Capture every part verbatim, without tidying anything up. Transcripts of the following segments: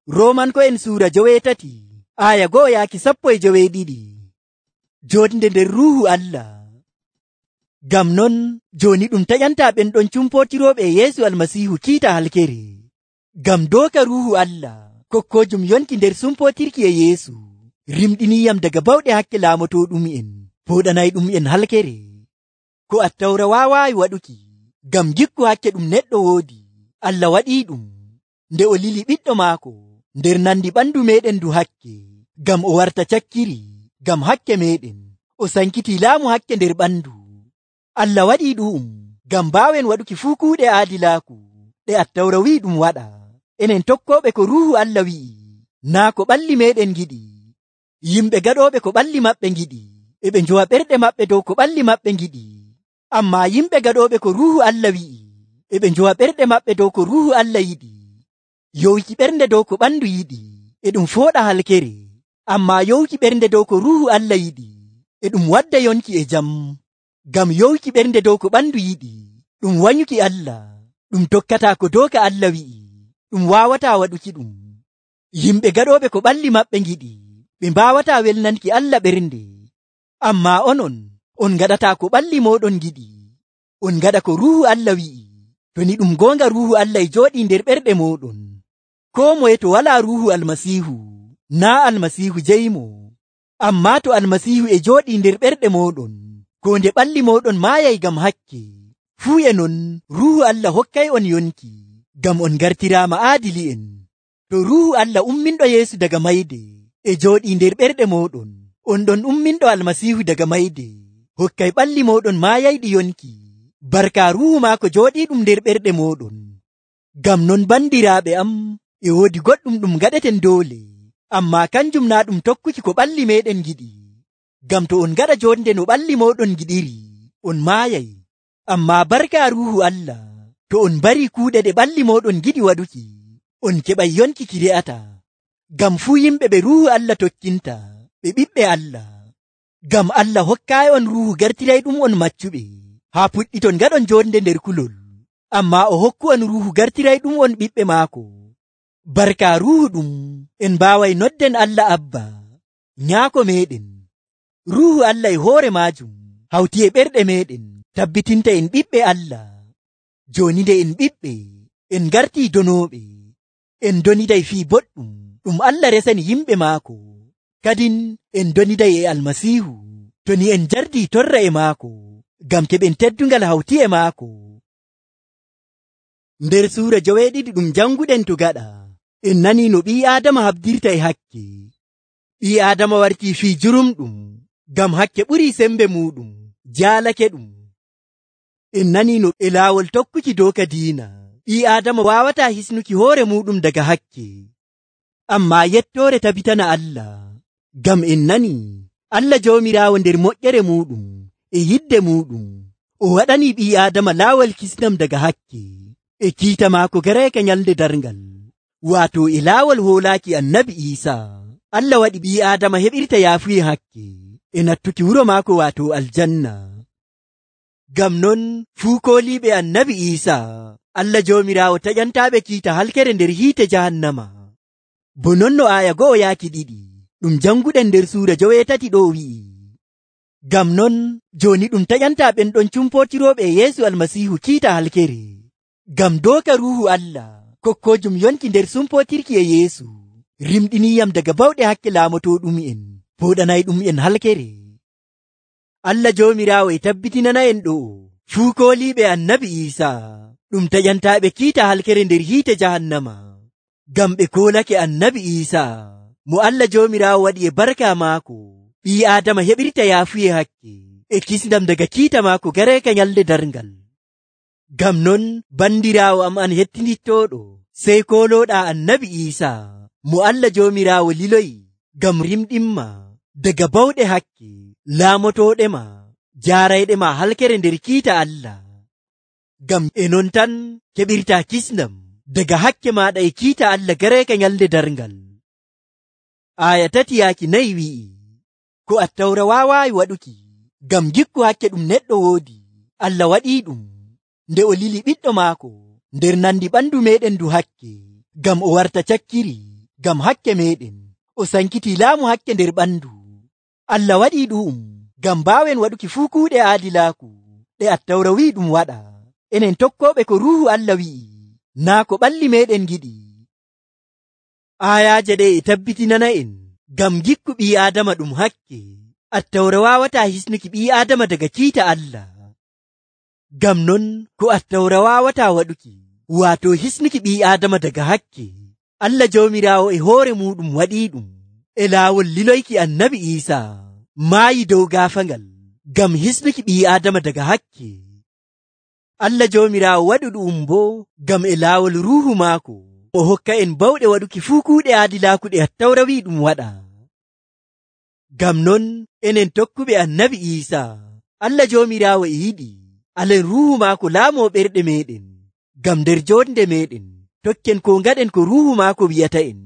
Roomanko'en suura joweetati aya go'o yaaki sappo e joweeɗiɗi. Jootnde nder Ruuhu Allah. Ngam non jooni ɗum taƴantaa ɓen ɗon cumpootirooɓe e Yeesu Almasiihu kiita halkere. Ngam dooka Ruuhu Allah kokkoojum yonki nder sumpootirki e Yeesu rimɗiniyam daga bawɗe hakke laamotooɗum'en pooɗanayɗum'en halkere. Ko Attawra waawaayi waɗuki, ngam gikku hakke ɗum neɗɗo woodi, Allah waɗiiɗum nde o lili ɓiɗɗo maako nder nandi ɓandu meɗen ndu hakke, ngam o warta cakkiri ngam hakke meɗen, o sankiti laamu hakke nder ɓandu. Allah waɗii ɗu'um ngam mbaawen waɗuki fuu kuuɗe aadilaaku ɗe Attawra wi'i ɗum waɗa. Enen tokkooɓe ko Ruuhu Allah wi'i, naa ko ɓalli meɗen giɗi. Yimɓe gaɗooɓe ko ɓalli maɓɓe giɗi e ɓe njowa ɓerɗe maɓɓe dow ko ɓalli maɓɓe giɗi. Ammaa yimɓe gaɗooɓe ko Ruuhu Allah wi'i e ɓe njowa ɓerɗe maɓɓe dow ko Ruuhu Allah yiɗi. Yowki ɓernde dow ko ɓandu yiɗi e ɗum fooɗa halkere, ammaa yowki ɓernde dow ko Ruuhu Allah yiɗi e ɗum wadda yonki e jam. Ngam yowki ɓernde dow ko ɓandu yiɗi ɗum wanyuki Allah, ɗum tokkataa ko dooka Allah wi'i, ɗum waawataa waɗuki ɗum. Yimɓe gaɗooɓe ko ɓalli maɓɓe giɗi ɓe mbaawataa welnanki Allah ɓernde. Ammaa onon, on ngaɗataa ko ɓalli mooɗon giɗi, on ngaɗa ko Ruuhu Allah wi'i. To ni ɗum goonga Ruuhu Allah e jooɗii nder ɓerɗe mooɗon. Koo moye to walaa Ruuhu Almasiihu, naa Almasiihu jeyimo. Ammaa to Almasiihu e jooɗii nder ɓerɗe mooɗon, ko nde ɓalli mooɗon maayay ngam hakke, fuu e non Ruuhu Allah hokkay on yonki, ngam on gartiraama aadili'en. To Ruuhu Allah umminɗo Yeesu daga mayde e jooɗii nder ɓerɗe mooɗon, on ɗon umminɗo Almasiihu daga mayde hokkay ɓalli mooɗon maayayɗi yonki, barka Ruuhu maako jooɗiiɗum nder ɓerɗe mooɗon. Ngam non bandiraaɓe am, e woodi goɗɗum ɗum gaɗeten doole, ammaa kanjum naa ɗum tokkuki ko ɓalli meɗen giɗi. Ngam to on gaɗa jonde no ɓalli moɗon giɗiri, on maayay. Ammaa barka Ruuhu Allah, to on bari kuuɗe ɗe ɓalli moɗon giɗi waɗuki, on keɓay yonki ki re'ata. Ngam fuu yimɓe ɓe Ruuhu Allah tokkinta ɓe ɓiɓɓe Allah. Ngam Allah hokkaayi on Ruuhu gartirayɗum on maccuɓe, haa puɗɗiton gaɗon jonde nder kulol. Ammaa o hokku on Ruuhu gartirayɗum on ɓiɓɓe maako. Barka Ruuhu ɗum en mbaaway nodden Allah Abba, nyaako meɗen. Ruuhu Allah e hoore maajum hawti e ɓerɗe meɗen tabbitinta en ɓiɓɓe Allah. Jooni nde en ɓiɓɓe, en gartii donooɓe, en doniday fii boɗɗum ɗum Allah resani yimɓe maako. Kadin en doniday e Almasiihu to ni en jardii torra e maako, ngam keɓen teddungal hawti e maako. Nder suura joweeɗiɗi ɗum janguɗen to gaɗa, en nanii no ɓii Aadama habdirta e hakke. Ɓii Aadama wartii fii jurumɗum, ngam hakke ɓurii sembe muuɗum, jaalake ɗum. En nanii no e laawol tokkuki dooka diina, ɓii Aadama waawataa hisnuki hoore muuɗum daga hakke. Ammaa yettoore tabitana Allah, ngam en nanii Allah Joomiraawo nder moƴƴere muuɗum e yidde muuɗum, o waɗanii ɓii Aadama laawol kisnam daga hakke e kiita maako gareeka nyalde darngal, waato e laawol hoolaaki Annabi Iisaa. Allah waɗi ɓii Aadama heɓirta yaafuye hakke e nattuki wuro maako waato aljanna. Ngam non fuu kooliiɓe Annabi Iisaa, Allah Joomiraawo taƴantaaɓe kiita halkere nder hiite jahannama. Bo non no aaya go'o yaaki ɗiɗi ɗum janguɗen nder suura joweetati ɗo wi'i. Ngam non jooni ɗum taƴantaa ɓen ɗon cumpootirooɓe e Yeesu Almasiihu kiita halkere. Ngam dooka Ruuhu Allah kokkoojum yonki nder sumpootirki e Yeesu rimɗiniyam daga bawɗe hakke laamotooɗum'en pooɗanayɗum'en halkere. Allah Joomiraawo e tabbitinana en ɗo fuu kooliiɓe Annabi Iisaa ɗum taƴantaaɓe kiita halkere nder hiite jahannama, ngam ɓe koolake Annabi Iisaa mo Allah Joomiraawo waɗi e barka maako. Ɓii Aadama heɓirta yaafuye hakke e kisndam daga kiita maako gareeka nyalde darngal. Ngam non bandiraawo am an hettinittooɗo, sey koolooɗaa Annabi Iisaa mo Allah Joomiraawo liloyi ngam rimɗinma daga bawɗe hakke laamotooɗema jaarayɗema halkere nder kiita Allah. Ngam e non tan keɓirtaa kisndam daga hakke maaɗa e kiita Allah gareeka nyalde darngal. Aaya tati yaaki nayi wi'i, ko Attawra waawaayi waɗuki, ngam gikku hakke ɗum neɗɗo woodi, Allah waɗii ɗum nde o lili ɓiɗɗo maako nder nandi ɓandu meɗen ndu hakke, ngam o warta cakkiri ngam hakke meɗen, o sankiti laamu hakke nder ɓandu. Allah waɗi ɗu'um ngam mbaawen waɗuki fuu kuuɗe aadilaaku ɗe Attawra wi'i ɗum waɗa. Enen tokkooɓe ko Ruuhu Allah wi'i, naa ko ɓalli meɗen giɗi. Aayaaje ɗe e tabbitinana en ngam gikku ɓii Aadama ɗum hakke. Attawra waawataa hisnuki ɓii Aadama daga kiita Allah. Ngam non ko Attawra waawataa waɗuki, waato hisnuki ɓii Aadama daga hakke, Allah Joomiraawo e hoore muuɗum waɗiiɗum e laawol liloyki Annabi Iisaa maayi dow gaafangal ngam hisnuki ɓii Aadama daga hakke. Allah Joomiraawo waɗi ɗu'um boo ngam e laawol Ruuhu maako o hokka en bawɗe waɗuki fuu kuuɗe aadilaaku ɗe Attawra wi'i ɗum waɗa. Ngam non enen tokkuɓe Annabi Iisaa, Allah Joomiraawo e yiɗi alen Ruuhu maako laamoo ɓerɗe meɗen, ngam nder joonde meɗen tokken ko ngaɗen ko Ruuhu maako wi'ata en.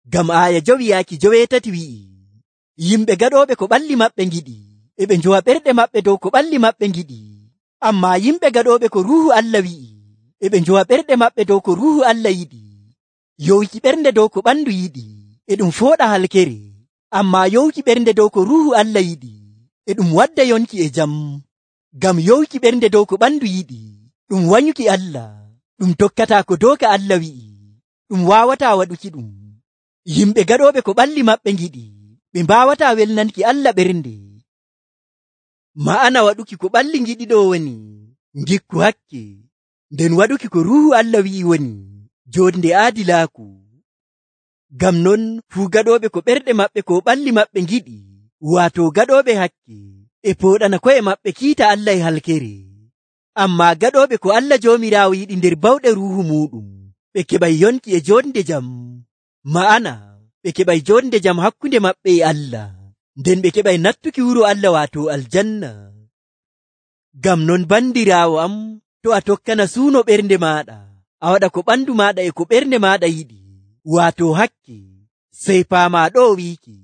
Ngam aaya jowi yaaki joweetati wi'i, yimɓe gaɗooɓe ko ɓalli maɓɓe ngiɗi e ɓe njowa ɓerɗe maɓɓe dow ko ɓalli maɓɓe ngiɗi. Ammaa yimɓe gaɗooɓe ko Ruuhu Allah wi'i e ɓe njowa ɓerɗe maɓɓe dow ko Ruuhu Allah yiɗi. Yowki ɓernde dow ko ɓandu yiɗi e ɗum fooɗa halkere, ammaa yowki ɓernde dow ko Ruuhu Allah yiɗi e ɗum wadda yonki e jam. Ngam yowki ɓernde dow ko ɓandu yiɗi ɗum wanyuki Allah, ɗum tokkataa ko dooka Allah wi'i, ɗum waawataa waɗuki ɗum. Yimɓe gaɗooɓe ko ɓalli maɓɓe ngiɗi ɓe mbaawataa welnanki Allah ɓernde. Ma'ana waɗuki ko ɓalli ngiɗi ɗo woni ngikku hakke, nden waɗuki ko Ruuhu Allah wi'i woni joonde aadilaaku. Ngam non fuu gaɗooɓe ko ɓerɗe maɓɓe ko ɓalli maɓɓe ngiɗi, waato gaɗooɓe hakke, e pooɗana ko'e maɓɓe kiita Allah e halkere. Ammaa gaɗooɓe ko Allah Joomiraawo yiɗi nder bawɗe Ruuhu muuɗum, ɓe keɓay yonki e joonde jam. Ma'ana ɓe keɓay joonde jam hakkunde maɓɓe e Allah, nden ɓe keɓay nattuki wuro Allah waato aljanna. Ngam non bandiraawo am, to a tokkana suuno ɓernde maaɗa, a waɗa ko ɓandu maaɗa e ko ɓernde maaɗa yiɗi, waato hakke, sey paamaa ɗo wiiki,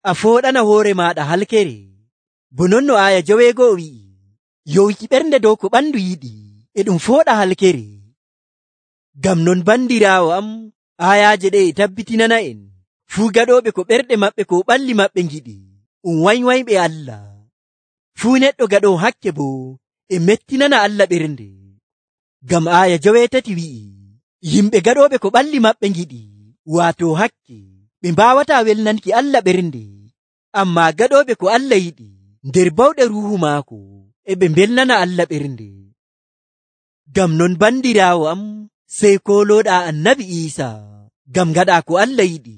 a fooɗana hoore maaɗa halkere. Bo non no aaya joweego'o wi'i, yowki ɓernde dow ko ɓandu yiɗi e ɗum fooɗa halkere. Ngam non bandiraawo am, aayaaje ɗe e tabbitinana en fuu gaɗooɓe ko ɓerɗe maɓɓe ko ɓalli maɓɓe ngiɗi um wanywayɓe Allah. Fuu neɗɗo gaɗoo hakke boo e mettinana Allah ɓernde. Ngam aaya joweetati wi'i, yimɓe gaɗooɓe ko ɓalli maɓɓe ngiɗi, waato hakke, ɓe mbaawataa welnanki Allah ɓernde. Ammaa gaɗooɓe ko Allah yiɗi nder bawɗe Ruuhu maako e ɓe mbelnana Allah ɓernde. Ngam non bandiraawo am, sey koolooɗaa Annabi Iisaa ngam ngaɗaa ko Allah yiɗi,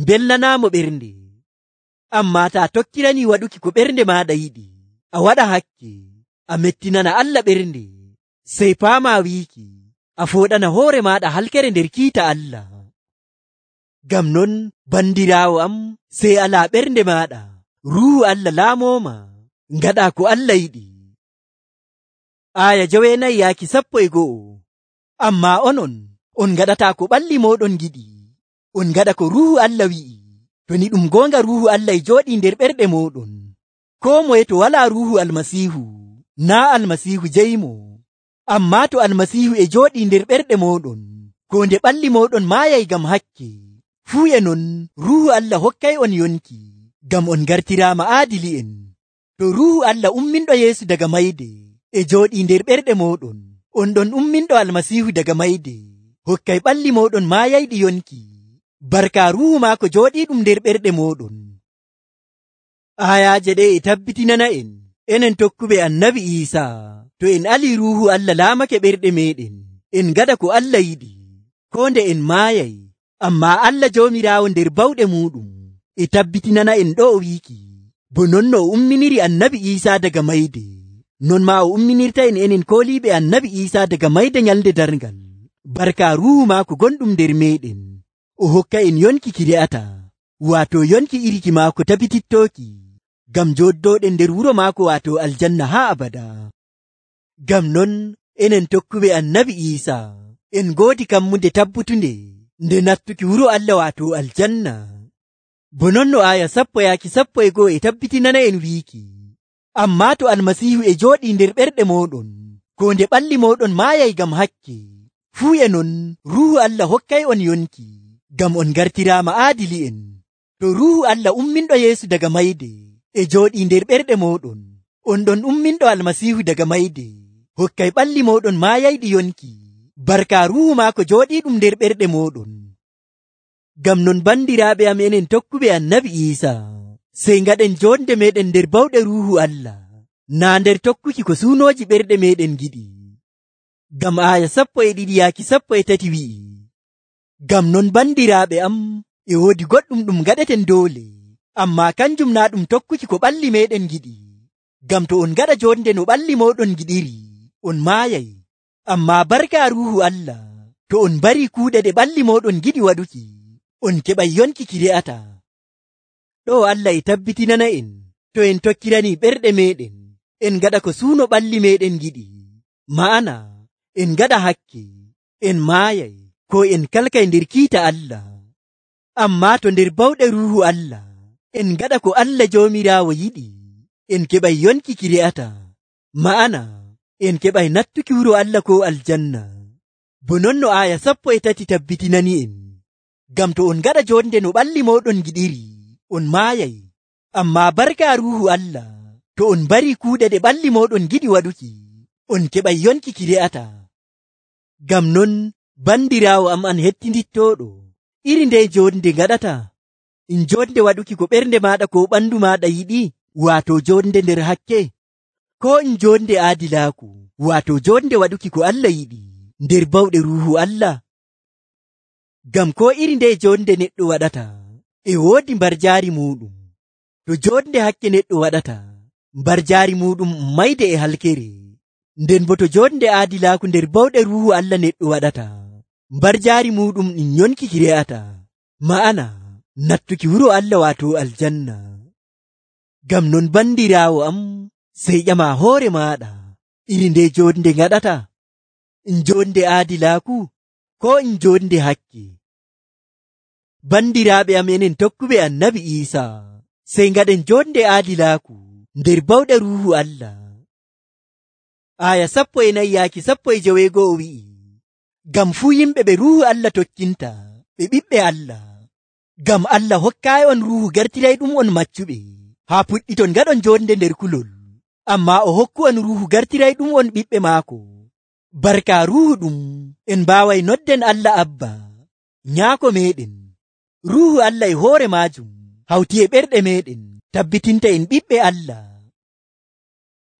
mbelnanaamo ɓernde. Ammaa taa tokkiranii waɗuki ko ɓernde maaɗa yiɗi, a waɗa hakke, a mettinana Allah ɓernde, sey paamaa wiiki, a fooɗana hoore maaɗa halkere nder kiita Allah. Ngam non bandiraawo am, sey alaa ɓernde maaɗa, Ruuhu Allah laamooma, ngaɗaa ko Allah yiɗi. Aaya joweenayi yaaki sappo e go'o. Ammaa onon, on ngaɗataa ko ɓalli mooɗon giɗi, on ngaɗa ko Ruuhu Allah wi'i. To ni ɗum goonga Ruuhu Allah e jooɗii nder ɓerɗe mooɗon. Koo moye to walaa Ruuhu Almasiihu, naa Almasiihu jeyimo. Ammaa to Almasiihu e jooɗii nder ɓerɗe mooɗon, ko nde ɓalli mooɗon maayay ngam hakke. Fuu e non Ruuhu Allah hokkay on yonki, ngam on ngartiraama aadili'en. To Ruuhu Allah umminɗo Yeesu daga mayde e jooɗii nder ɓerɗe mooɗon, on ɗon umminɗo Almasiihu daga mayde hokkay ɓalli mooɗon maayayɗi yonki, barka Ruuhu maako jooɗiiɗum nder ɓerɗe mooɗon. Aayaaje ɗe e tabbitinana en enen tokkuɓe Annabi Iisaa, to en alii Ruuhu Allah laamake ɓerɗe meɗen, en ngaɗa ko Allah yiɗi, koo nde en maayay. Ammaa Allah Joomiraawo nder bawɗe muuɗum e tabbitinana en ɗo o wiiki, bo non no o umminiri Annabi Iisaa daga mayde, non maa o umminirta en enen kooliiɓe Annabi Iisaa daga mayde nyalde darngal, barka Ruuhu maako gonɗum nder meɗen, o hokka en yonki ki re'ata, waato yonki iriki maako tabitittooki, ngam jooddooɗen nder wuro maako waato aljanna haa abada. Ngam non enen tokkuɓe Annabi Iisaa, en ngoodi kammunde tabbutunde nde nattuki wuro Allah waato aljanna. Bo non no aaya sappo yaaki sappo e go'o e tabbitinana en wiiki, ammaa to Almasiihu e jooɗii nder ɓerɗe mooɗon, ko nde ɓalli mooɗon maayay ngam hakke, fuu e non Ruuhu Allah hokkay on yonki, ngam on gartiraama aadili'en. To Ruuhu Allah umminɗo Yeesu daga mayde e jooɗii nder ɓerɗe mooɗon, on ɗon umminɗo Almasiihu daga mayde hokkay ɓalli mooɗon maayayɗi yonki barka Ruuhu maako jooɗiiɗum nder ɓerɗe mooɗon. Ngam non bandiraaɓe am enen tokkuɓe Annabi Iisaa, sey ngaɗen jonde meɗen nder bawɗe Ruuhu Allah, naa nder tokkuki ko suunooji ɓerɗe meɗen giɗi. Ngam aaya sappo e ɗiɗi yaaki sappo e tati wi'i, ngam non bandiraaɓe am, e woodi goɗɗum ɗum gaɗeten doole, ammaa kanjum naa ɗum tokkuki ko ɓalli meɗen giɗi. Ngam to on ngaɗa jonde no ɓalli mooɗon giɗiri, on maayay. Ammaa barka Ruuhu Allah, to on bari kuuɗe ɗe ɓalli mooɗon giɗi waɗuki, on keɓay yonki ki re'ata. Ɗo Allah e tabbitinana en, to en tokkirani ɓerɗe meɗen, en ngaɗa ko suuno ɓalli meɗen giɗi, ma'ana en ngaɗa hakke, en maayay, ko en kalkay nder kiita Allah. Ammaa to nder bawɗe Ruuhu Allah, en ngaɗa ko Allah Joomiraawo yiɗi, en keɓay yonki ki re'ata, ma'ana en keɓay nattuki wuro Allah ko aljanna. Bo non no aaya sappo e tati tabbitinani en, ngam to on ngaɗa jonde no ɓalli mooɗon giɗiri, on maayay. Ammaa barka Ruuhu Allah, to on bari kuuɗe ɗe ɓalli mooɗon giɗi waɗuki, on keɓay yonki ki re'ata. Ngam non bandiraawo am an hettindittooɗo, iri nde jonde ngaɗata, in jonde waɗuki ko ɓernde maaɗa ko ɓandu maaɗa yiɗi, waato jonde nder hakke, ko in jonde aadilaaku, waato jonde waɗuki ko Allah yiɗi nder bawɗe Ruuhu Allah. Ngam ko iri nde jonde neɗɗo waɗata, e woodi mbarjaari muɗum. To jonde hakke neɗɗo waɗata, mbarjaari muɗum mayde e halkere. Nden bo to jonde aadilaaku nder bawɗe Ruuhu Allah neɗɗo waɗata, mbarjaari muɗum ɗin yonki ki re'ata, ma'ana nattuki wuro Allah waato aljanna. Ngam non bandiraawo am, sey ƴama hoore maaɗa, iri nde jonde ngaɗata, in jonde aadilaaku, ko in jonde hakke. Bandiraaɓe am enen tokkuɓe Annabi Iisaa, sey ngaɗen jonde aadilaaku nder bawɗe Ruuhu Allah. Aaya sappo e nayi yaaki sappo e joweego'o wi'i, ngam fuu yimɓe ɓe Ruuhu Allah tokkinta, ɓe ɓiɓɓe Allah. Ngam Allah hokkaayi on Ruuhu gartirayɗum on maccuɓe, haa puɗɗiton ngaɗon jonde nder kulol. Ammaa o hokku on Ruuhu gartirayɗum on ɓiɓɓe maako. Barka Ruuhu ɗum, en mbaaway nodden Allah Abba, Nyaako meɗen. Ruuhu Allah e hoore maajum, hawti e ɓerɗe meɗen, tabbitinta en ɓiɓɓe Allah.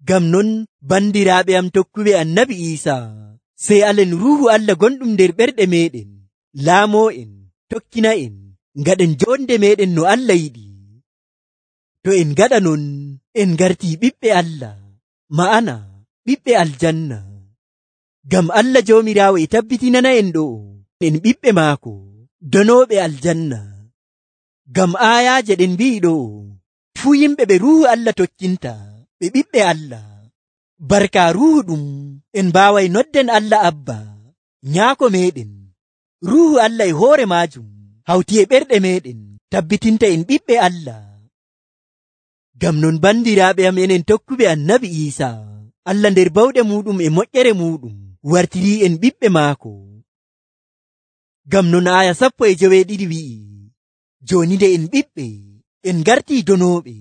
Ngam non bandiraaɓe am tokkuɓe Annabi Iisaa, sey alen Ruuhu Allah gonɗum nder ɓerɗe meɗen, laamoo en, tokkina en, ngaɗen jonde meɗen no Allah yiɗi. To en ngaɗa non, en ngartii ɓiɓɓe Allah, ma'ana ɓiɓɓe aljanna. Ngam Allah Joomiraawo e tabbitinana en ɗo, en ɓiɓɓe maako, donooɓe aljanna. Ngam aayaaje ɗen mbi'i ɗo, fuu yimɓe ɓe Ruuhu Allah tokkinta, ɓe ɓiɓɓe Allah. Barka Ruuhu ɗum, en mbaaway nodden Allah Abba, Nyaako meɗen. Ruuhu Allah e hoore maajum, hawti e ɓerɗe meɗen, tabbitinta en ɓiɓɓe Allah. Ngam non bandiraaɓe am enen tokkuɓe Annabi Iisaa, Allah nder bawɗe muɗum e moƴƴere muɗum wartirii en ɓiɓɓe maako. Ngam non aaya sappo e joweeɗiɗi wi'i, jooni nde en ɓiɓɓe, en ngartii donooɓe,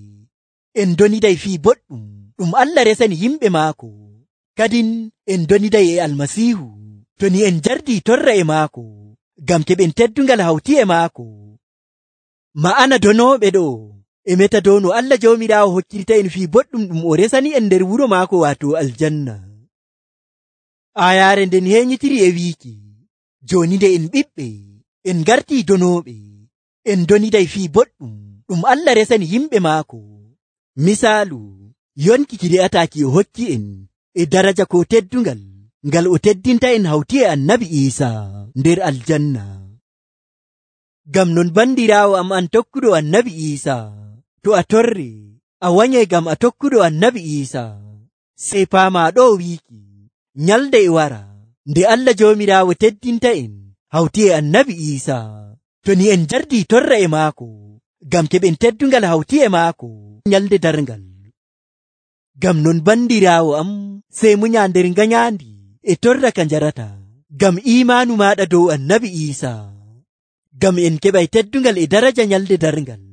en doniday fii boɗɗum ɗum Allah resani yimɓe maako. Kadin en doniday e Almasiihu, to ni en jardii torra e maako, ngam keɓen teddungal hawti e maako. Ma'ana donooɓe ɗo, e meta dow no Allah Joomiraawo hokkirta en fii boɗɗum ɗum o resani en nder wuro maako waato aljanna. Aayaare nden heeñitiri e wiiki, jooni nde en ɓiɓɓe, en ngartii donooɓe, en doniday fii boɗɗum ɗum Allah resani yimɓe maako. Misaalu, yonki ki re'ataaki o hokki en, e daraja ko teddungal, ngal o teddinta en hawti e Annabi Iisaa nder aljanna. Ngam non bandiraawo am an tokkuɗo Annabi Iisaa, to a torre, a wanyay ngam a tokkuɗo Annabi Iisaa, sey paamaa ɗo wiiki, nyalde e wara, nde Allah Joomiraawo teddinta en hawti e Annabi Iisaa, to ni en jardii torra e maako, ngam keɓen teddungal hawti e maako nyalde darngal. Ngam non bandiraawo am, sey munya nder ngayaandi e torra ka njarata, ngam iimaanu maaɗa dow Annabi Iisaa. ngam en keɓay teddungal e daraja nyalde darngal.